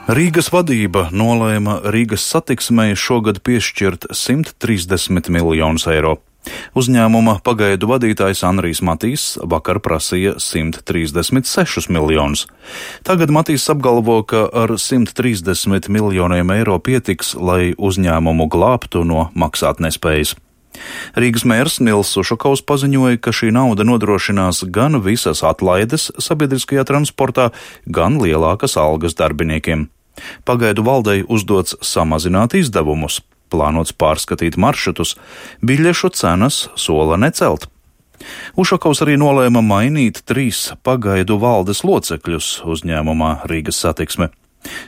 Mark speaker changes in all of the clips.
Speaker 1: Rīgas vadība nolēma Rīgas satiksmei šogad piešķirt 130 miljonus eiro. Uzņēmuma pagaidu vadītājs Andrijs Matīs vakar prasīja 136 miljonus. Tagad Matīs apgalvo, ka ar 130 miljoniem eiro pietiks, lai uzņēmumu glābtu no maksātnespējas. Rīgas mērs Nils Ušakovs paziņoja, ka šī nauda nodrošinās gan visas atlaides sabiedriskajā transportā, gan lielākas algas darbiniekiem. Pagaidu valdei uzdots samazināt izdevumus, plānots pārskatīt maršrutus, biļešu cenas sola necelt. Ušakovs arī nolēma mainīt 3 pagaidu valdes locekļus uzņēmumā Rīgas satiksme.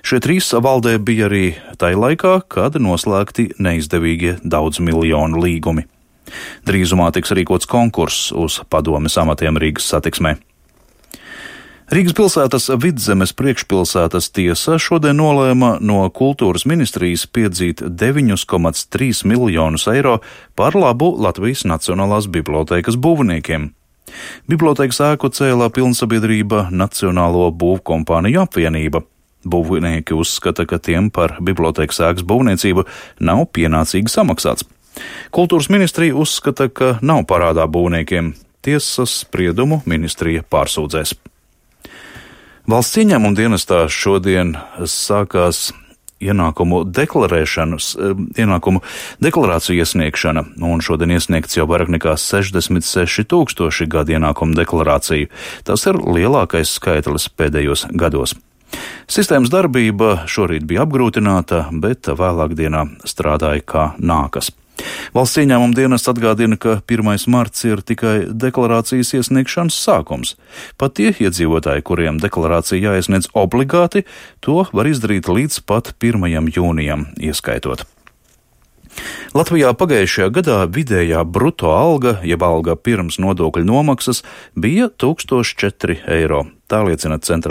Speaker 1: Šie 3 valdē bija arī tai laikā, kad noslēgti neizdevīgie daudz miljonu līgumi. Drīzumā tiks rīkots konkurss uz padomes amatiem Rīgas satiksmē. Rīgas pilsētas Vidzemes priekšpilsētas tiesa šodien nolēma no kultūras ministrijas piedzīt 9,3 miljonus eiro par labu Latvijas Nacionālās bibliotēkas būvniekiem. Bibliotēkas ēku cēlā pilnsabiedrība Nacionālo būvkompāniju apvienība. Būvnieki uzskata, ka tiem par bibliotēkas ēkas būvniecību nav pienācīgi samaksāts. Kultūras ministrija uzskata, ka nav parādā būvniekiem. Tiesas spriedumu ministrija pārsūdzēs. Valsts ieņēmuma dienestā šodien sākās ienākumu deklarāciju iesniegšana, un šodien iesniegts jau vairāk nekā 66 000 gadu ienākumu deklarāciju. Tas ir lielākais skaitlis pēdējos gados. Sistēmas darbība šorīt bija apgrūtināta, bet vēlāk dienā strādāja kā nākas. Valsts ieņēmuma dienests atgādina, ka 1. marts ir tikai deklarācijas iesniegšanas sākums. Pat tie iedzīvotāji, kuriem deklarācija jāiesniedz obligāti, to var izdarīt līdz pat 1. jūnijam ieskaitot. Latvijā pagājušajā gadā vidējā bruto alga, jeb alga pirms nodokļu nomaksas, bija 1004 eiro. Tā liecina centrālā